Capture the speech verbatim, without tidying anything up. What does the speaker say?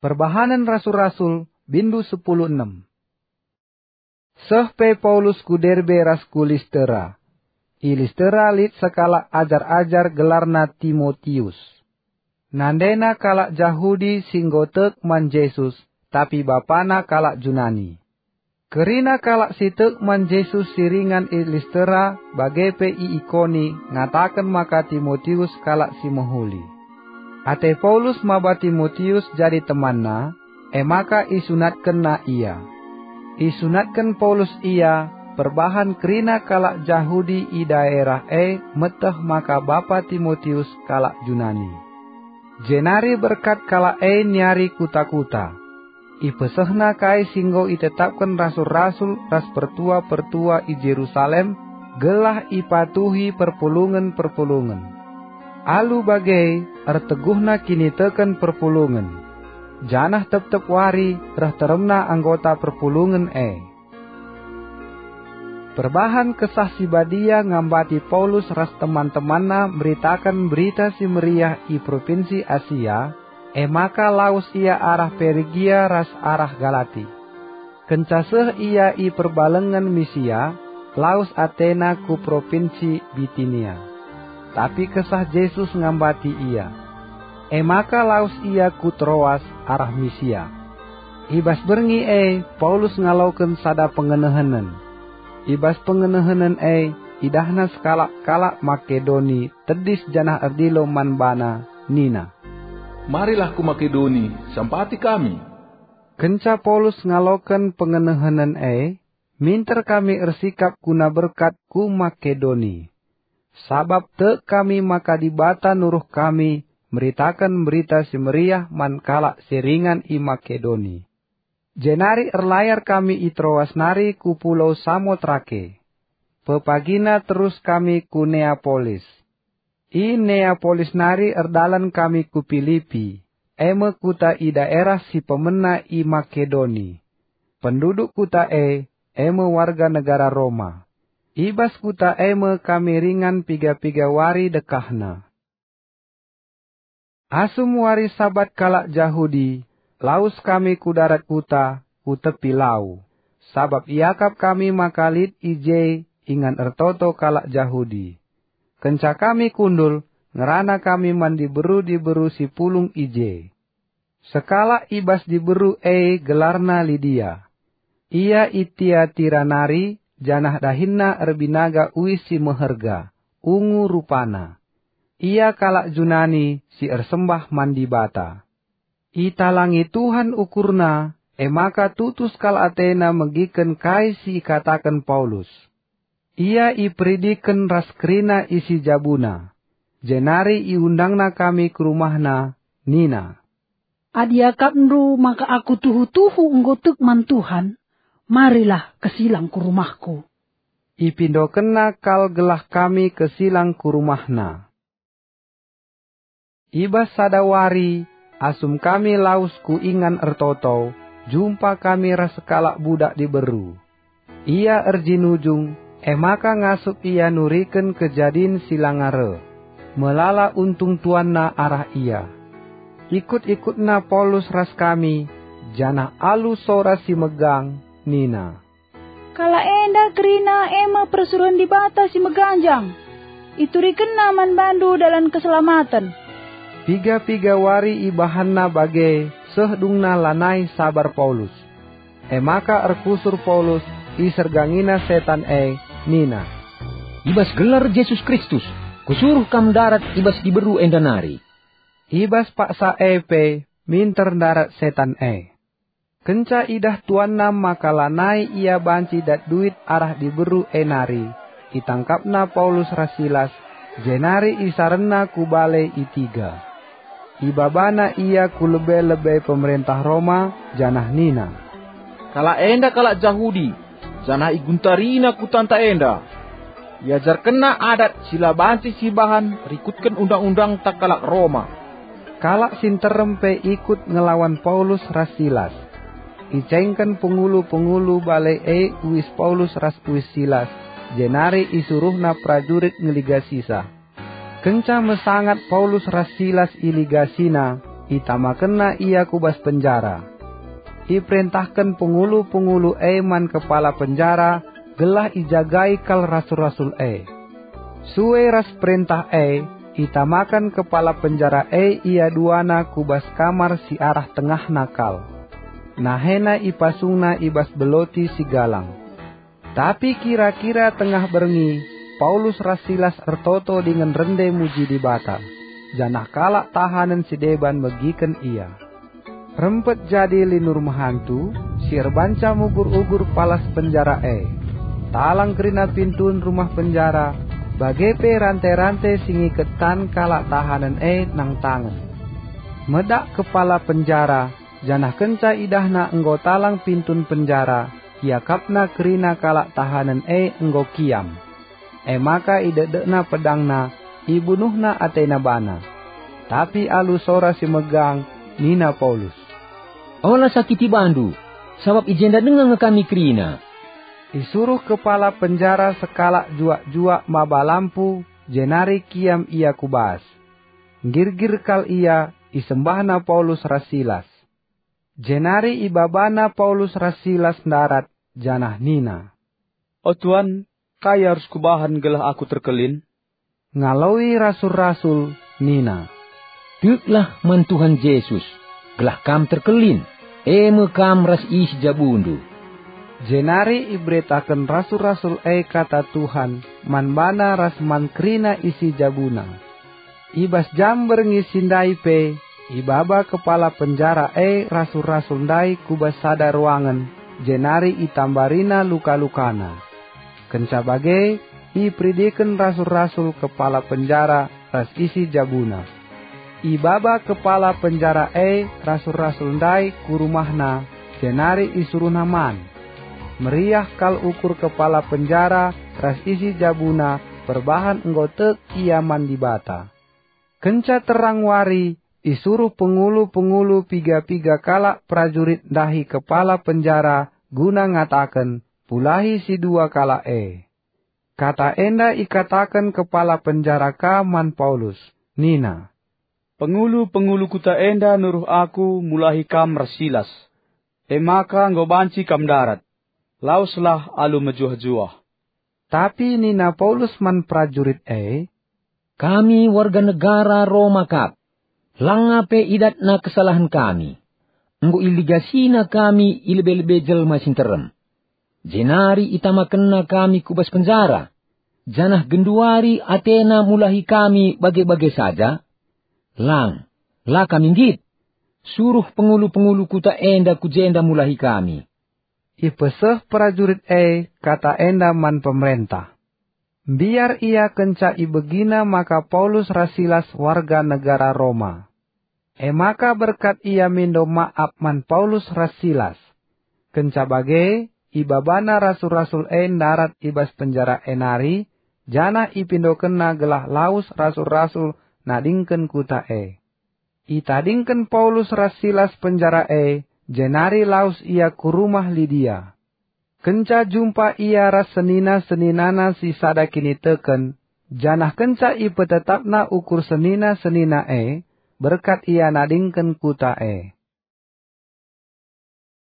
Perbahanen Rasul-Rasul, bindu sepuluh enem. Seh pe Paulus ku Derbe ras ku Listera. I Listera lit sekalak ajar-ajar gelarna Timotius. Nandena kalak Jahudi si enggo tek man Jesus, tapi bapana kalak Junani. Kerina kalak si tek man Jesus si ringan i Listera bage pe i Ikoni ngataken maka Timotius kalak si mehuli. Ate Paulus maba Timotius jadi temanna, e maka isunatkenna ia. Isunatken Paulus ia perbahan kerina kalak Jahudi i daerah e meteh maka bapa Timotius kalak Junani. Jenari berkat kalak e niari kuta-kuta. Ipesehna kai si enggo itetapken rasul-rasul ras pertua-pertua i Jerusalem, gelah ipatuhi perpulungen-perpulungen. Alu bage, erteguhna kiniteken perpulungen, janah tep-tep wari reh teremna anggota perpulungen e. Perbahan Kesah Si Badia ngambati Paulus ras teman-temanna meritaken Berita Si Meriah i Propinsi Asia, e maka lawes ia arah Perigia ras arah Galati. Kenca seh ia i perbalengen Misia, lawes atena ku Propinsi Bitinia. Tapi Kesah Jesus ngambati ia. E maka lawes ia ku Troas arah Misia. I bas berngi e Paulus ngaloken sada pengenehenen. I bas pengenehenen e idahna sekalak kalak Makedoni tedis janah erdilo man bana, nina, "Marilah ku Makedoni, sampati kami." Kenca Paulus ngaloken pengenehenen e, minter kami ersikap guna berkat ku Makedoni. Sabap tek kami maka Dibata nuruh kami meritaken Berita Si Meriah man kalak si ringan i Makedoni. Jenari erlayar kami i Troas nari ku pulau Samotrake. Pepagina terus kami ku Neapolis. I Neapolis nari erdalan kami ku Pilipi, e me kuta i daerah si pemena i Makedoni. Penduduk kuta e, e me warga negara Roma. I bas kuta e me kami ringan piga-piga wari dekahna. Asum wari Sabat kalak Jahudi, lawes kami ku darat kuta, ku tepi lau, sabap iakap kami maka lit i je ingan ertoto kalak Jahudi. Kenca kami kundul, ngerana kami man diberu-diberu si pulung i je. Sekalak i bas diberu e gelarna Lidia. Ia i Tiatira nari, janah dahinna erbinaga uis si meherga, ungu rupana. Ia kalak Junani si ersembah man Dibata. Italangi Tuhan ukurna, e maka tutus kal atena megiken kai si ikataken Paulus. Ia iperidiken ras kerina isi jabuna, jenari iundangna kami ku rumahna, nina, "Adi iakapndu maka aku tuhu-tuhu enggo tek man Tuhan, marilah kesilang ku rumahku." Ipindokenna kal gelah kami kesilang ku rumahna. I bas sada wari, asum kami lawes ku ingan ertoto, jumpa kami ras sekalak budak diberu. Ia erjinujung, e maka ngasup ia nuriken kejadin si langa reh. Melala untung tuanna arah ia. Ikut-ikutna Paulus ras kami, janah alu sora si megang, nina, "Kalak enda kerina e me persuruhen Dibata si meganjang. Iturikenna man bandu dalan keselamaten." Piga-piga wari ibahanna bage, seh dungna lanai sabar Paulus. E maka erkusur Paulus, isergangina setan e, nina, "I bas gelar Jesus Kristus, kusuruh kam ndarat i bas diberu enda nari." I bas paksa e pe minter ndarat setan e. Kenca idah tuanna maka lanai ia banci dat duit arah diberu e nari, itangkapna Paulus ras Silas, jenari isarenna ku bale i Tiga. Ibabana ia ku lebe-lebe pemerentah Roma, janah nina, "Kalak enda kalak Jahudi, janah iguntarina kutanta enda. Iajarkenna adat si la banci sibahan rikutken undang-undangta kalak Roma." Kalak si nterem pe ikut ngelawan Paulus ras Silas. Icengken pengulu-pengulu bale e uis Paulus ras uis Silas, jenari isuruhna perajurit ngeligasisa. Kenca mesangat Paulus ras Silas iligasina, itamakenna ia ku bas penjara. Iperentahken pengulu-pengulu e man kepala penjara gelah ijagai kal rasul-rasul e. Sue ras perentah e, itamaken kepala penjara e ia duana ku bas kamar si arah tengahna kal. Nahena ipasungna i bas beloti si galang. Tapi kira-kira tengah berngi, Paulus ras Silas ertoto dingen rende muji Dibata, janah kalak tahanen si deban megiken ia. Rempet jadi linur mehantu si erbanca mugur-ugur palas penjara e. Talang kerina pintun rumah penjara, bage pe rante-rante si ngiket tan kalak tahanen e nangtangen. Medak kepala penjara, janah kenca idahna enggo talang pintun penjara, iakapna kerina kalak tahanen e enggo kiam. E maka idekdekna pedangna, ibunuhna atena bana. Tapi alu sora si megang, nina Paulus, "Ola sakiti bandu, sabap i jenda denga nge kami kerina." Isuruh kepala penjara sekalak juak-juak maba lampu, jenari kiam ia ku bas. Nggirgir kal ia, isembahna Paulus ras Silas. Jenari ibabana Paulus ras Silas ndarat, janah nina, "O Tuan, kai arus kubahan gelah aku terkelin?" Ngaloi rasul-rasul nina, "Teklah man Tuhan Jesus, gelah kam terkelin, e me kam ras isi jabundu." Jenari iberitaken rasul-rasul e kata Tuhan man bana ras man kerina isi jabuna. I bas jam berngi si ndai pe, ibaba kepala penjara e rasul-rasul ndai ku bas sada ruangen, jenari itambarina luka-lukana. Kenca bage, iperidiken rasul-rasul kepala penjara ras isi jabuna. Ibaba kepala penjara e rasul-rasul ndai ku rumahna, jenari isuruhna man. Meriah kal ukur kepala penjara ras isi jabuna perbahan enggo tek ia man Dibata. Kenca terang wari, isuruh pengulu-pengulu piga-piga kalak perajurit ndahi kepala penjara guna ngataken, "Pulahi si dua kalak e." Kata enda ikataken kepala penjara ka man Paulus, nina, "Pengulu-pengulu kuta enda nuruh aku mulahi kam ras Silas. E maka enggo banci kam ndarat. Laweslah alu mejuah-juah." Tapi nina Paulus man perajurit e, "Kami warga negara Roma kap. Langa pe idatna kesalahen kami. Enggo iligasina kami i lebe-lebe jelma si nterem. Jenari itamakenna kami ku bas penjara, janah genduari atena mulahi kami bage-bage saja? Lang, la kami nggit. Suruh pengulu-pengulu kuta enda ku jenda mulahi kami." Ipeseh perajurit e kata enda man pemerentah. Mbiar ia kenca ibegina maka Paulus ras Silas warga negara Roma. E maka berkat ia mindo maap man Paulus ras Silas. Kenca bage, ibabana rasul-rasul e ndarat i bas penjara e nari, janah ipindokenna gelah lawes rasul-rasul nadingken kuta e. Itadingken Paulus ras Silas penjara e, jenari lawes ia ku rumah Lidia. Kenca jumpa ia ras senina-seninana si sada kiniteken, janah kenca ipetetapna ukur senina-senina e, berkat ia nadingken kuta e.